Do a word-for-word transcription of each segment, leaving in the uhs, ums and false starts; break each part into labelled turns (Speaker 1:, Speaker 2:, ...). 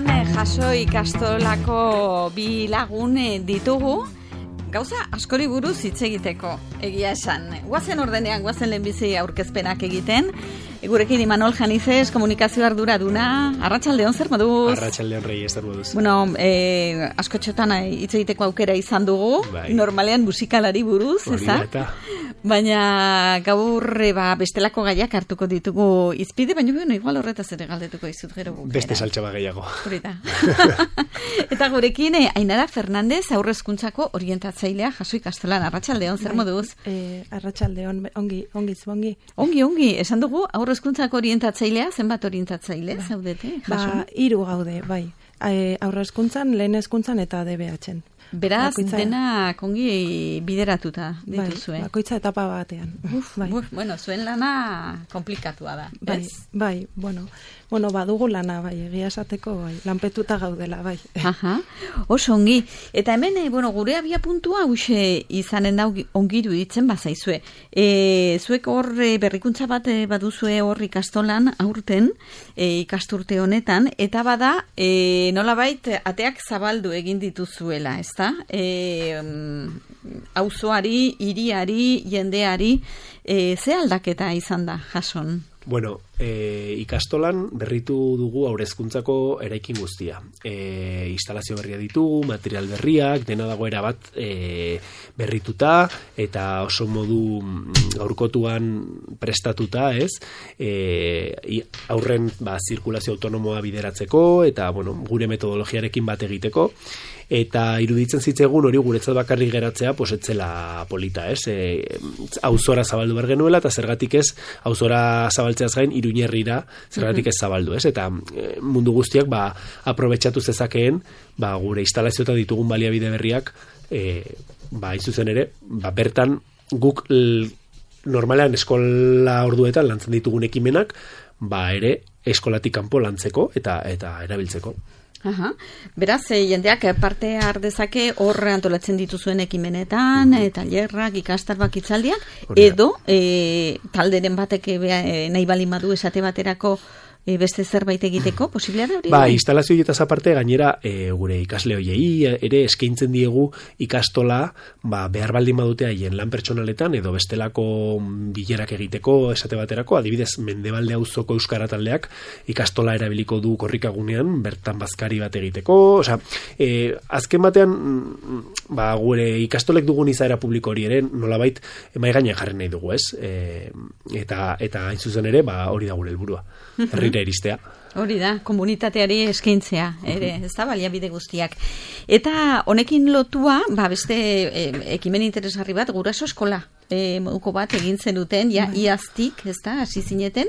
Speaker 1: Gaurkoan jaso ikastolako bi lagun ditugu, gauza askori buruz hitz egiteko, egia esan. Guazen ordenean, guazen lehenbizi aurkezpenak egiten. Gurekin Imanol Janizes, komunikazio arduraduna. Arratsaldeon, zer moduz?
Speaker 2: Arratsaldeon, Rei, zer moduz?
Speaker 1: Bueno, eh, askotxotan hitz egiteko aukera izan dugu, bai. Normalean musikalari buruz, eza? Baina gaur ba, bestelako gaiak hartuko ditugu izpide, baina bueno, igual horretaz ere galdetuko izut gero bukera.
Speaker 2: Beste saltxaba gehiago.
Speaker 1: Horita. Eta gurekin, eh, Ainara Fernandez, aurrezkuntzako orientatzailea jaso ikastolan. Arratsaldeon, zer moduz?
Speaker 3: Eh, Arratsaldeon, ongi, ongi, ongi.
Speaker 1: Ongi, ongi, esan dugu, aurrezkuntzako orientatzailea, zenbat orientatzaile, ba. Zaudete? Jaso?
Speaker 3: Ba, hiru gaude, bai. E, aurrezkuntzan, lehen hezkuntzan eta D B H-en.
Speaker 1: Beraz, bakoitza... dena kongi bideratuta dituzue.
Speaker 3: Bai, bakoitza etapa batean.
Speaker 1: Uf, bai. Uf, bueno, zuen lana komplikatua da.
Speaker 3: Bai, ez? Bai, bueno, bueno, badugu lana, bai, egia esateko, bai, lanpetuta gaudela, bai.
Speaker 1: Aha, oso ongi. Eta hemen, bueno, gure abia puntua huxe izanen da ongiru ditzen bazaizue. E, zuek hor berrikuntza bat baduzue hor ikastolan aurten, e, ikasturte honetan, eta bada, e, nolabait ateak zabaldu egin dituzuela, ez da? E, auzoari, hiriari, jendeari, e, ze aldaketa izan da, jason?
Speaker 2: Bueno, e, ikastolan berritu dugu aurrezkuntzako eraikin guztia. E, instalazio berria ditugu, material berriak, dena dago erabat e, berrituta, eta oso modu gaurkotuan prestatuta, ez? E, aurren ba, zirkulazio autonomoa bideratzeko, eta bueno, gure metodologiarekin bat egiteko, eta iruditzen zitzegun hori guretzat bakarrik geratzea posetzela polita, ez? E, auzora zabaldu behar genuela, eta zergatik ez auzora zabaltzeaz gain Iruñerrira zergatik ez zabaldu, ez? Eta e, mundu guztiak ba, aprobetxatu zezakeen ba, gure instalazioeta ditugun baliabide berriak e, ba, izuzen ere, ba, bertan guk l, normalean eskola orduetan lantzen ditugun ekimenak ba, ere eskolatik kanpo lantzeko eta eta erabiltzeko.
Speaker 1: Aha. Beraz, e, jendeak parte har dezake hor antolatzen dituzuen ekimenetan, mm-hmm. tailerrak, ikastarbak, hitzaldiak, edo e, talderen batek e, nahi bali madu esate baterako e, beste zerbait egiteko, posiblea da hori?
Speaker 2: Ba, instalazio horietaz aparte, gainera e, gure ikasle hoiei ere eskaintzen diegu ikastola ba, behar baldin badute haien lan pertsonaletan edo bestelako bilerak egiteko esate baterako, adibidez Mendebalde auzoko euskara taldeak ikastola erabiliko du korrikagunean bertan bazkari bat egiteko, osea, e, azken batean ba, gure ikastolek dugun izaera publiko hori ere nolabait mai gainean jarri nahi dugu, ez? E, eta eta hain zuzen ere, ba, hori da gure helburua. Herrira iristea.
Speaker 1: Hori da, komunitateari eskaintzea, ere, ez da, baliabide guztiak. Eta honekin lotua, ba, beste e, ekimen interesgarri bat, guraso eskola. E, moduko bat egin zenuten, ja, bai. Iaztik, ez da, hasi zineten.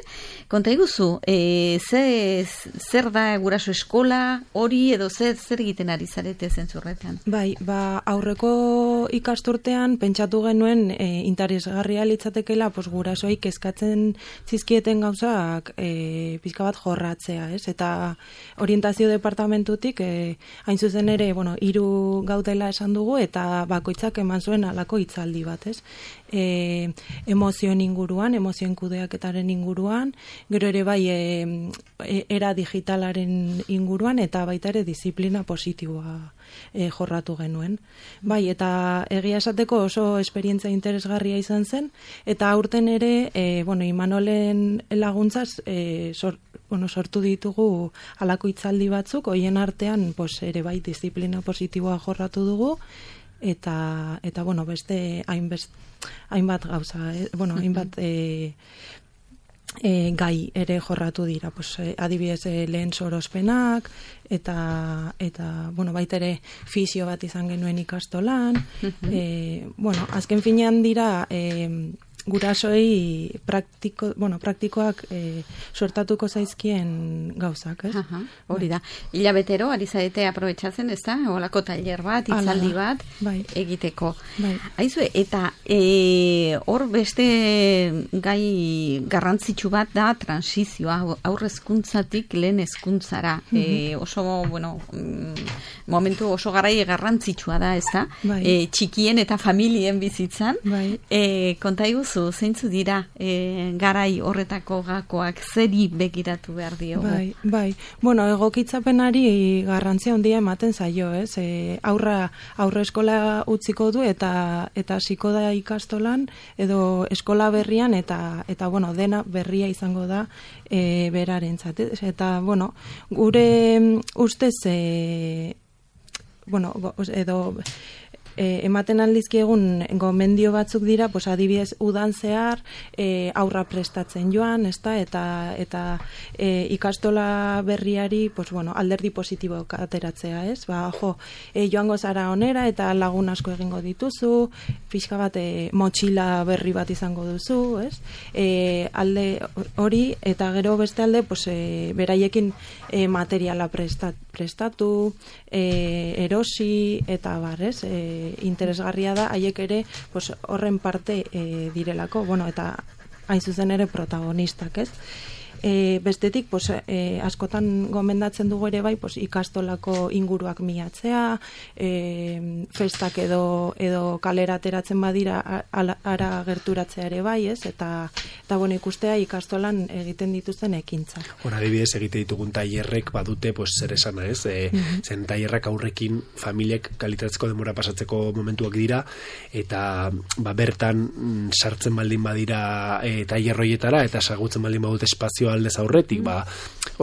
Speaker 1: Konta iguzu, e, ze, zer da guraso eskola, hori edo zer, zer egiten ari zarete zentzurretan?
Speaker 3: Bai, ba, aurreko ikasturtean pentsatu genuen e, interesgarria litzatekela, pues, gurasoei kezkatzen zizkieten gauzak e, pizka bat jorratzea, ez? Eta orientazio departamentutik, e, hain zuzen ere, bueno, hiru gaudela esan dugu, eta bakoitzak eman zuen halako hitzaldi bat, ez? E, emozioen inguruan, emozioen kudeaketaren inguruan, gero ere bai e, e, era digitalaren inguruan eta baita ere disiplina positiboa e, jorratu genuen. Bai, eta egia esateko oso esperientzia interesgarria izan zen, eta aurten ere, e, bueno, Imanolen laguntzaz e, sor, bueno, sortu ditugu halako hitzaldi batzuk, hoien artean pues, ere bai disiplina positiboa jorratu dugu, eta eta bueno, beste hainbest hainbat gauza, eh? bueno, hainbat e, e, gai ere jorratu dira, pues eh, adibidez eh, lehen sorospenak eta eta bueno, baita ere fisio bat izan genuen ikastolan. eh, bueno, azken finean dira eh, gurasoei praktiko, bueno, praktikoak e, suertatuko zaizkien gauzak, ez?
Speaker 1: Aha, hori da. Hilabetero, ari zaite aprobetxatzen, ez da? Olako tailer bat, hitzaldi bat, bai. Egiteko. Bai. Aizue, eta e, hor beste gai garrantzitsu bat da transizioa, aurrezkuntzatik lehen hezkuntzara. Mm-hmm. E, oso, bueno, momentu oso garai garrantzitsua da, ez da? Bai. E, txikien eta familien bizitzan. Bai. E, konta iguz, duzu, zeintzu dira e, garai horretako gakoak, zeri begiratu behar diogu?
Speaker 3: Bai, bai. Bueno, egokitzapenari garrantzia handia ematen zaio, ez? E, aurra, aurre eskola utziko du eta eta hasiko da ikastolan edo eskola berrian eta eta bueno, dena berria izango da e, berarentzat. Eta bueno, gure ustez e, bueno, edo E, ematen aldizkiegun gomendio batzuk dira, pues adibidez udan zehar e, aurra prestatzen joan, ezta, eta eta e, ikastola berriari, pues bueno, alderdi positibo ateratzea, ez? Ba, jo, e, joango zara onera eta lagun asko egingo dituzu, pixka bat e, motxila berri bat izango duzu, ez? E, alde hori eta gero beste alde, pues e, beraiekin e, materiala prestat, prestatu, e, erosi eta bar, ez? E, interesgarria da haiek ere pues, horren parte e, direlako, bueno, eta hain zuzen ere protagonistak, ez? E, bestetik, pues, e, askotan gomendatzen dugu ere bai, pues, ikastolako inguruak miatzea, e, festak edo, edo kalera ateratzen badira ara, ara gerturatzea ere bai, ez? Eta, eta bueno, ikustea ikastolan egiten dituzten ekintzak.
Speaker 2: Hora, adibidez, egite ditugun tailerrek badute, pues, zer esana, ez? E, mm-hmm. Zen tailerrak aurrekin familiek kalitatzeko denbora pasatzeko momentuak dira, eta ba, bertan sartzen baldin badira e, tailerroietara, eta sagutzen baldin badut espazioa aldez aurretik, ba,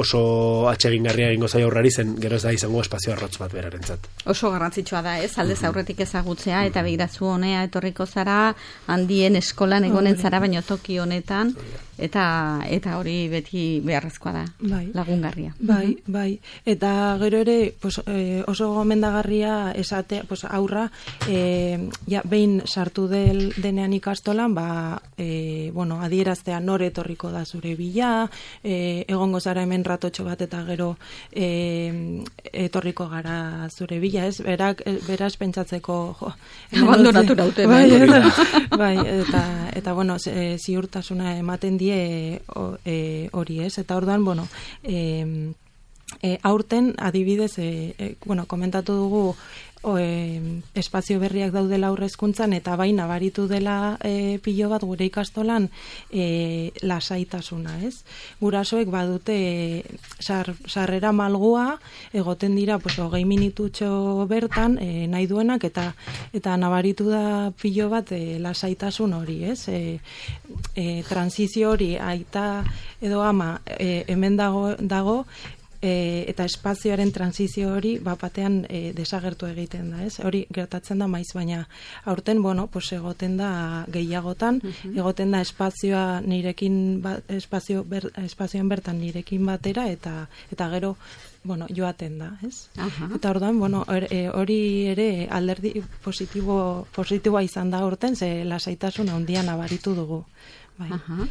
Speaker 2: oso atsegingarria egingo zaio aurrari zen, gero ez da izango espazio arrotz bat berarentzat.
Speaker 1: Oso garrantzitsua da, ez? Aldez aurretik ezagutzea, eta begirazu honea etorriko zara, handien eskolan egonen zara, baino toki honetan, eta eta hori beti beharrezkoa da,
Speaker 3: bai.
Speaker 1: Lagungarria.
Speaker 3: Bai, bai. Eta gero ere, pues, eh, oso gomendagarria esate, pues, aurra, eh, ja, behin sartu del, denean ikastolan, ba, eh, bueno, adieraztea nore etorriko da zure bila, eh, egongo zara hemen ratotxo bat eta gero eh, etorriko gara zure bila, ez? Berak, beraz pentsatzeko, jo,
Speaker 1: abandonatu naute.
Speaker 3: Bai, eta, bai, eta, eta bueno, ziurtasuna ematen die hori, ez? Eta orduan, bueno, e, e, aurten adibidez, e, e, bueno, komentatu dugu o, e, espazio berriak daudela aurrezkuntzan eta bai nabaritu dela e, pilo bat gure ikastolan e, lasaitasuna, ez? Gurasoek badute sar, sarrera malgua egoten dira pues, hogei minututxo bertan e, nahi duenak eta eta nabaritu da pilo bat e, lasaitasun hori, ez? E, e, transizio hori aita edo ama e, hemen dago, dago E, eta espazioaren transizio hori bapatean e, desagertu egiten da, ez? Hori gertatzen da maiz, baina aurten, bueno, pues egoten da gehiagotan, uh-huh. egoten da espazioa nirekin ba, espazio ber, espazioan bertan nirekin batera eta eta gero bueno, joaten da, ez? Uh-huh. Eta orduan, bueno, hori ere alderdi positibo positiboa izan da aurten, ze lasaitasun handia nabaritu dugu. Bai.
Speaker 1: Uh-huh.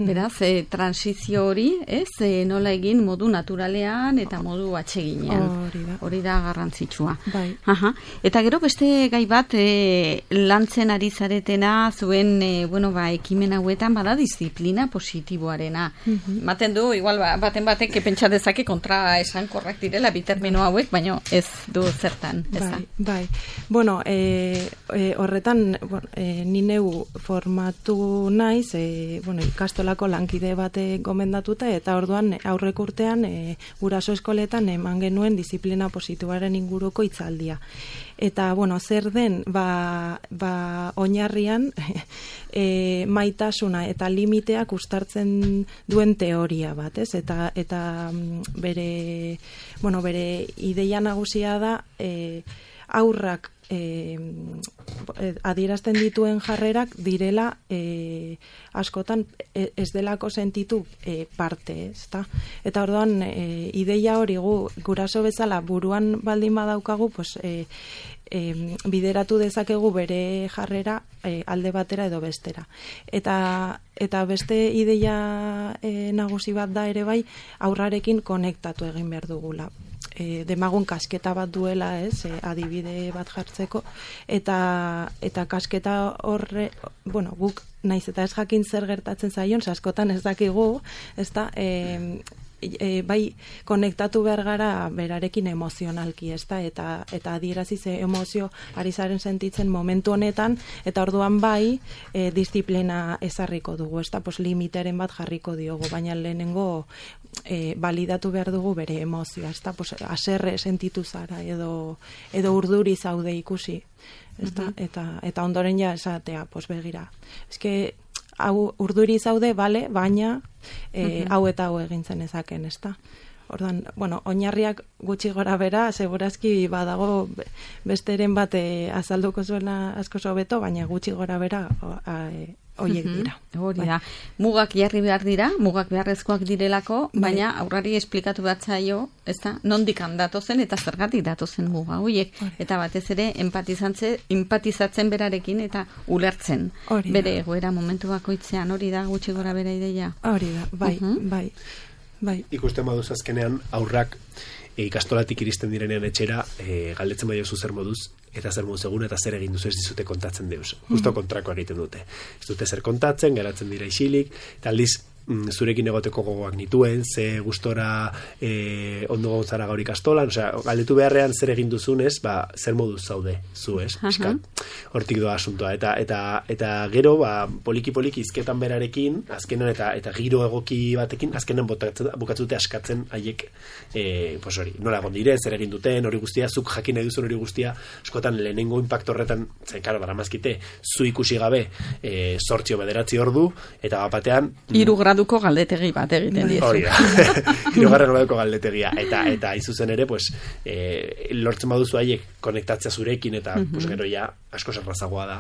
Speaker 1: Beraz, e, transizio hori, ez, e, nola egin modu naturalean eta modu atseginean.
Speaker 3: Hori da.
Speaker 1: Hori da garrantzitsua.
Speaker 3: Bai.
Speaker 1: Aha. Eta gero beste gai bat e, lantzen ari zaretena zuen, e, bueno, ba, ekimen hauetan bada disiplina positiboarena. Mm-hmm. Maten du, igual, ba, baten batek pentsa dezake kontra esan korrak direla bitermino hauek, baino ez du zertan. Ez
Speaker 3: bai, bai. Bueno, e, e, horretan, bueno, e, ni neu formatu naiz, e, bueno, ikastola lankide bate gomendatuta eta orduan aurreko urtean e, guraso eskoletan eman genuen disiplina positiboaren inguruko hitzaldia. Eta, bueno, zer den, ba, ba oinarrian e, maitasuna eta limiteak uztartzen duen teoria bat, ez? Eta, eta bere, bueno, bere ideia nagusia da e, aurrak E, adierazten dituen jarrerak direla e, askotan ez delako sentitu e, parte, ezta? Eta orduan e, ideia hori gu, guraso bezala buruan baldin badaukagu, pues, e, e, bideratu dezakegu bere jarrera e, alde batera edo bestera. Eta, eta beste ideia e, nagusi bat da ere bai aurrarekin konektatu egin behar dugula. E, demagun kasketa bat duela, ez, e, adibide bat jartzeko eta eta kasketa horre, bueno, guk naiz eta ez jakin zer gertatzen zaion, askotan ez dakigu, ezta, e, e, bai konektatu behar gara berarekin emozionalki, ez da, eta, eta adierazi ze emozio ari zaren sentitzen momentu honetan, eta orduan bai e, disiplina ezarriko dugu, ez da, pues, limiteren bat jarriko diogu, baina lehenengo e, validatu behar dugu bere emozioa, ez da, pues, aserre sentitu zara, edo, edo urduri zaude ikusi, ez da, uh-huh. eta, eta ondoren ja esatea, pues, begira, eske, hau urduri zaude, bale, baina e, uh-huh. hau eta hau egintzen ezaken, ez da. Ordan, bueno, oinarriak gutxi gora bera, segurazki badago besteren bat e, azalduko zuela asko hobeto, baina gutxi gora bera hoiek dira.
Speaker 1: Hori da. Mugak jarri behar dira, mugak beharrezkoak direlako, baina aurrari esplikatu bat zaio, ez da, nondik datozen eta zergatik datozen muga hoiek. Eta batez ere empatizatzen berarekin eta ulertzen. Bere egoera momentu bakoitzean, hori da gutxi gora bera ideia.
Speaker 3: Hori da, bai, uh-huh. bai. Bai.
Speaker 2: Ikusten baduz azkenean aurrak e, ikastolatik iristen direnean etxera e, galdetzen badio zu zer moduz eta zer moduz egun eta zer egin duzu ez dizute kontatzen deuz. Justo mm-hmm. kontrakoa egiten dute. Ez dute zer kontatzen, geratzen dira isilik, eta aldiz zurekin egoteko gogoak nituen, ze gustora e, ondo gontzara gaur ikastolan, osea, galdetu beharrean zer egin duzunez, ba, zer moduz zaude zu, ez? Uh-huh. Hortik doa asuntoa. Eta, eta, eta gero, ba, poliki-poliki izketan berarekin, azkenan eta eta giro egoki batekin, azkenan bukatzute askatzen haiek, e, pues hori, nola egon diren, zer egin duten, hori guztia, zuk jakin nahi duzun hori guztia, askotan lehenengo impacto horretan, zen, karo, daramazkite, zu ikusi gabe, e, sortzio bederatzi ordu, eta batean...
Speaker 1: Hiru graduko galdetegi bat egiten diezu.
Speaker 2: Hori da. Hirugarren graduko galdetegia. Eta, eta izuzen ere, pues, e, lortzen baduzu haiek konektatzea zurekin, eta uh-huh. pues, gero ja, asko zerrazagoa da,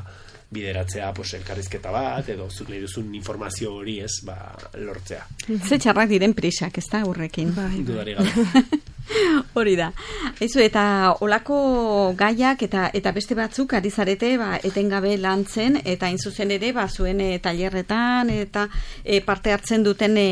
Speaker 2: bideratzea, pues, elkarrizketa bat, edo zuk nahi duzun informazio hori ez, ba, lortzea.
Speaker 1: Ze txarrak diren prisak, ez da, horrekin.
Speaker 3: Bai,
Speaker 2: dudari gabe.
Speaker 1: Hori da. Eizu, eta olako gaiak eta eta beste batzuk ari zarete, ba, etengabe lantzen, eta hain zuzen ere, ba, zuen e, tailerretan, eta e, parte hartzen duten e,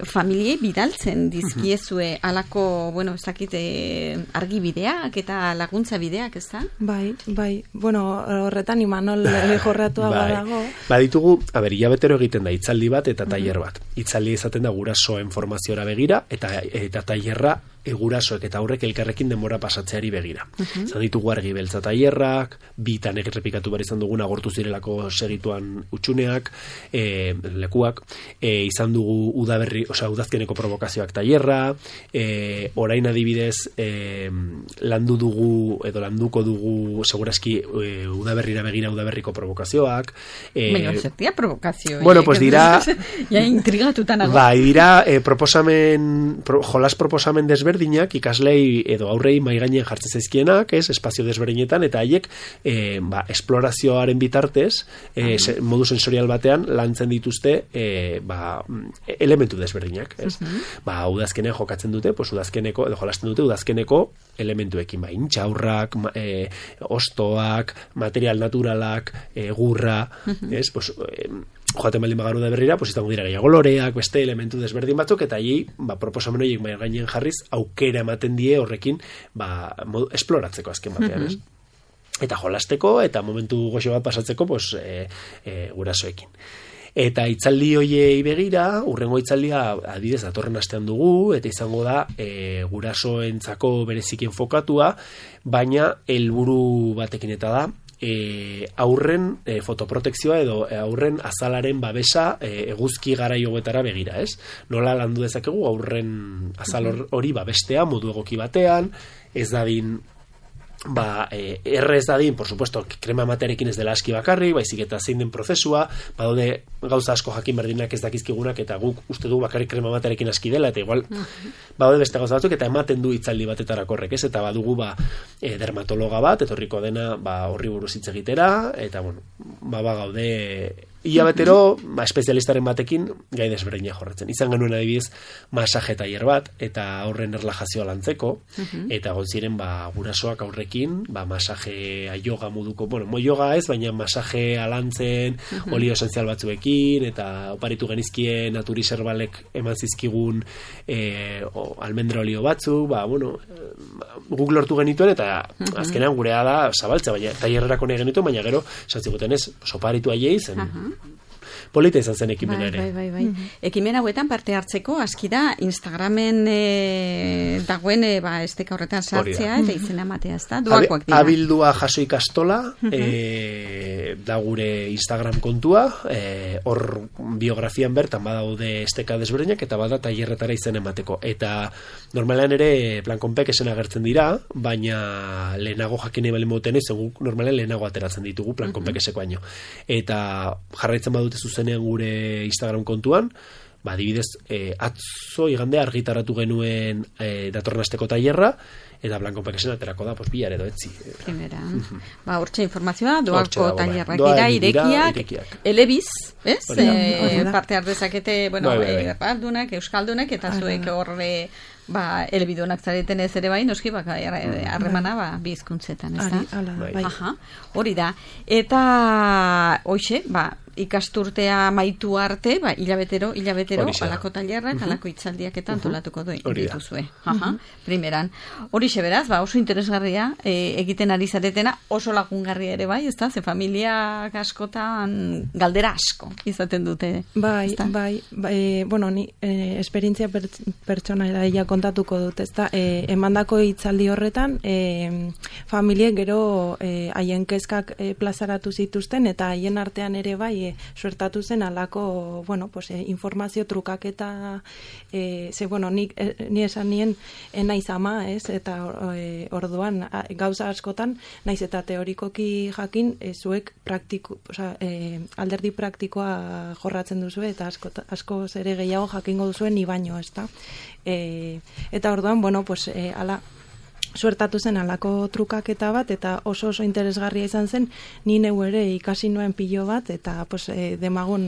Speaker 1: familiei bidaltzen dizkiezue alako, bueno, ez dakit, e, argibideak eta laguntza bideak, ez da?
Speaker 3: Bai, bai. Bueno, horretan Imanol jorratua bai. Badago.
Speaker 2: Ba, ditugu, a ber, hilabetero egiten da itzaldi bat eta tailer bat. Itzaldi izaten da gurasoen formaziora begira, eta, eta tailerra egurasoek eta aurrek elkarrekin denbora pasatzeari begira. Uh-huh. Zan ditugu argi beltza tailerrak, bitan errepikatu behar izan dugun agortu zirelako segituan utxuneak, e, lekuak, e, izan dugu udaberri, osea, udazkeneko provokazioak tailerra, e, orain adibidez e, landu dugu, edo landuko dugu segurazki e, udaberrira begira udaberriko provokazioak.
Speaker 1: E, Baina, zertia provokazio.
Speaker 2: Bueno, pues dira...
Speaker 1: ja intrigatutan nago.
Speaker 2: Bai, dira e, proposamen, pro, jolas proposamen desber desberdinak ikaslei edo aurrei mai gainean jartzen zaizkienak, ez, espazio desberdinetan eta haiek e, ba, esplorazioaren bitartez, e, se, modu sensorial batean lantzen dituzte e, ba, elementu desberdinak, ez. Uh-huh. Ba, udazkenean jokatzen dute, pues udazkeneko edo jolasten dute udazkeneko elementuekin, ba, intxaurrak, e, ostoak, material naturalak, e, gurra, uh-huh. ez, pues e, joaten baldin bagaru da berrira, pues izango dira gehiago loreak, beste elementu desberdin batzuk, eta hi, ba, proposamen horiek mai gainean jarriz, aukera ematen die horrekin, ba, modu, esploratzeko azken batean, ez? Mm-hmm. Eta jolasteko, eta momentu goxo bat pasatzeko, pues, e, e, gurasoekin. Eta itzaldi hoiei begira, urrengo itzaldia adibidez datorren astean dugu, eta izango da e, gurasoentzako bereziki enfokatua, baina helburu batekin eta da, E, aurren e, fotoprotekzioa edo e, aurren azalaren babesa e, eguzki garaioetara begira, ez? Nola landu dezakegu aurren azal hori babestea modu egoki batean, ez dadin ba, e, erre ez dadin, por supuesto, krema materekin ez dela aski bakarri, baizik eta zein den prozesua, badaude gauza asko jakin berdinak ez dakizkigunak, eta guk uste du bakarrik krema materekin aski dela, eta igual badaude beste gauza batzuk, eta ematen du itzaldi batetarako horrek, ez? Eta badugu ba, e, dermatologa bat, etorriko dena ba, horri buruz hitz egitera, eta bueno, ba, ba gaude hilabetero, ba, espezialistaren batekin gai desberdina jorratzen. Izan genuen adibidez masaje tailer bat, eta aurren erlajazioa lantzeko, uh-huh. eta gontziren ba, gurasoak aurrekin, ba, masaje yoga moduko, bueno, mo yoga ez, baina masaje alantzen, uh-huh. olio esenzial batzuekin, eta oparitu genizkien naturiserbalek eman zizkigun e, o, almendra olio batzu, ba, bueno, guk lortu genituen, eta uh-huh. azkenean gurea da zabaltza, baina tailerrerako nahi genituen, baina gero, satzikoten ez, oparitu aiei zen, uh-huh. polita izan zen ekimena ere.
Speaker 1: Bai, bai, bai. Mm-hmm. Ekimen hauetan parte hartzeko, aski da, Instagramen e, dagoen e, ba, esteka horretan sartzea eta izena matea, ez da? Doakoak dira.
Speaker 2: Abildua jaso ikastola, mm-hmm. e, da gure Instagram kontua, e, hor biografian bertan badaude esteka desberdinak eta bada tailerretara izen emateko. Eta normalean ere Plankonpek esen agertzen dira, baina lehenago jakine balen moten ez, guk normalean lehenago ateratzen ditugu Plankonpek eseko baino. Eta jarraitzen badute zuzenean gure Instagram kontuan, ba, adibidez, e, atzo igande argitaratu genuen e, datorren asteko tailerra, eta Plankonpek esen aterako da, pues, bihar edo etzi.
Speaker 1: Primera. Ba, hortxe informazioa, doako tailerrak dira, irekiak, irekiak. Elebiz, ez? E, parte ardezakete, bueno, bai, bai, bai. Erraldunak, euskaldunak, eta zuek horre, ba, elebidunak zareten ez ere bai, noski, baka, harremana, ba, bizkuntzetan, ez da?
Speaker 3: Bai.
Speaker 1: Aha, hori da. Eta, hoxe, ba, ikasturtea maitu arte, ba, hilabetero, hilabetero, alako tailerrak, uh-huh. alako itzaldiak eta antolatuko uh-huh. dituzue. Aha, uh-huh. primeran. Horixe beraz, ba, oso interesgarria e, egiten ari zaretena, oso lagungarria ere bai, ez da? Ze familiak askotan galdera asko izaten dute.
Speaker 3: Bai, bai, bai, bueno, ni eh, esperientzia per, pertsonala ja kontatuko dut, ez da? Eh, emandako hitzaldi horretan, eh, familiek gero haien eh, kezkak eh, plazaratu zituzten, eta haien artean ere bai, e, suertatu zen alako, bueno, pues, e, informazio trukaketa, e, ze, bueno, ni, e, ni esan nien naiz ama, ez, eta e, orduan, a, gauza askotan, naiz eta teorikoki jakin, e, zuek praktiko, oza, e, alderdi praktikoa jorratzen duzu, eta asko, asko zere gehiago jakingo duzuen ni baino, ez da. E, eta orduan, bueno, pues, e, ala, suertatu zen alako trukaketa bat, eta oso oso interesgarria izan zen, ni neu ere ikasi nuen pilo bat, eta pues, e, demagun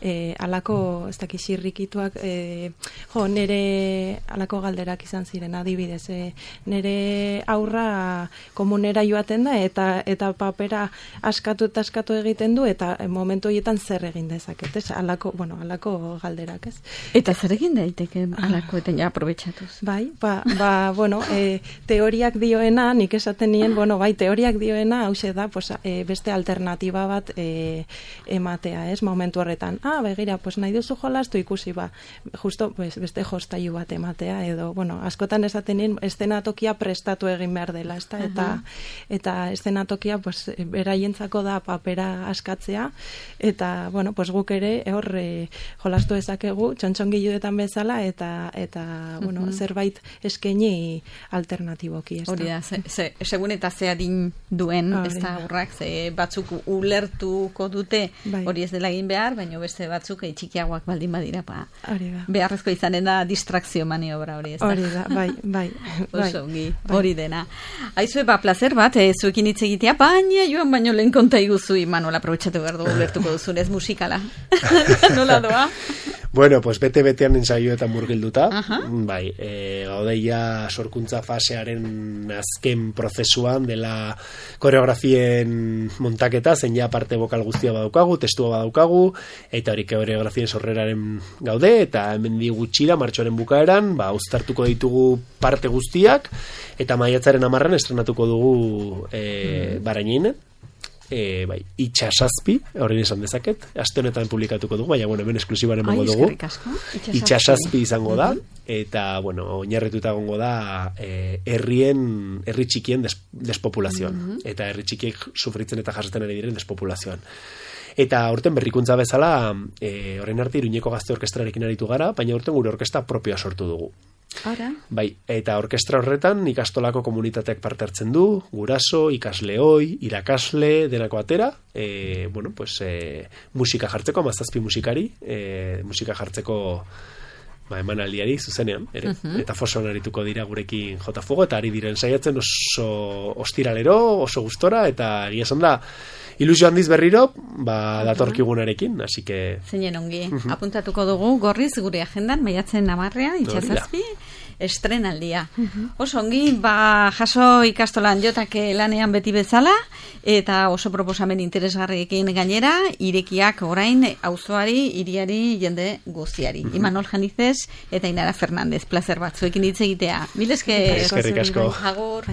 Speaker 3: e, alako, ez dakit, xirrikituak, e, jo, nere alako galderak izan ziren, adibidez, e, nere aurra komunera joaten da, eta eta papera askatu eta askatu egiten du, eta momentu horietan zer egin dezaket, ez? Alako, bueno, alako galderak, ez?
Speaker 1: Eta zer egin daiteke alako, eta ja, aprobetxatuz.
Speaker 3: Bai, ba, ba bueno, e, teoriak dioena, nik esaten nien, bueno, bai, teoriak dioena, hause da, pues, e, beste alternatiba bat e, ematea, ez, momentu horretan. Ah, begira, pues, nahi duzu jolastu ikusi, ba, justo, pues, beste jostailu bat ematea, edo, bueno, askotan esaten nien, eszenatokia prestatu egin behar dela, ez da, eta, eta eszenatokia, pues, beraientzako da papera askatzea, eta, bueno, pues, guk ere, hor, e, jolastu ezakegu, txontxongiluetan bezala, eta, eta, bueno, uh-huh. zerbait eskaini alternatibo.
Speaker 1: Hori da, ze, ze, segun eta ze adin duen, ez da aurrak, ze batzuk ulertuko dute bai. Hori ez dela egin behar, baina beste batzuk e, txikiagoak baldin badira, pa, beharrezko izanen da distrakzio maniobra hori, ez da.
Speaker 3: Hori da, bai, bai.
Speaker 1: Oso, bai. Hori dena. Aizue, ba, placer bat, e, zuekin hitz egitea, baina joan baino lehen konta iguzu, Imanol, aprobetxatu behar dugu ulertuko duzun, ez musikala. Nola doa?
Speaker 2: Bueno, pues bete-betean ensaioetan murgilduta, bai, e, gaudeia sorkuntza fasearen azken prozesuan dela koreografien montaketa, zein ja parte bokal guztia badaukagu, testua badaukagu, eta hori koreografien sorreraren gaude, eta hemen di gutxira, martxoaren bukaeran, ba, uztartuko ditugu parte guztiak, eta maiatzaren amarran estrenatuko dugu e, mm. baraininen. E, bai, itxasazpi, horrein esan dezaket, aste honetan publikatuko dugu, baina, bueno, hemen esklusibaren emango dugu. Itxasazpi izango da, eta, bueno, oinarrituta gongo da e, herrien, herri txikien des, despopulazioan, uh-huh. eta herri txikiek sufritzen eta jasaten ari diren despopulazioan. Eta aurten berrikuntza bezala, e, horrein arte Iruñeko Gazte Orkestrarekin aritu gara, baina aurten gure orkestra propioa sortu dugu.
Speaker 1: Ara.
Speaker 2: Bai, eta orkestra horretan ikastolako komunitateak parte hartzen du, guraso, ikasleoi, irakasle, denako atera, e, bueno, pues, e, musika jartzeko, amazazpi musikari, e, musika jartzeko ba, emanaldiari zuzenean, ere. Uh-huh. Eta fosoan arituko dira gurekin jota fuego, eta ari diren saiatzen oso ostiralero, oso gustora, eta egia esan da, ilusio handiz berriro, ba, datorkigunarekin, así que...
Speaker 1: Zeinen ongi, uh-huh. apuntatuko dugu, gorriz gure agendan, maiatzen namarrean, itxasazpi, estrenaldia. Uh-huh. Oso ongi, ba, jaso ikastolan jotake lanean beti bezala, eta oso proposamen interesgarriekin gainera, irekiak orain auzoari, hiriari, jende guztiari. Uh-huh. Imanol Janizez eta Inara Fernandez, placer bat, zuekin hitz egitea. Mil esker.
Speaker 2: Eskerrik asko.
Speaker 1: Agur.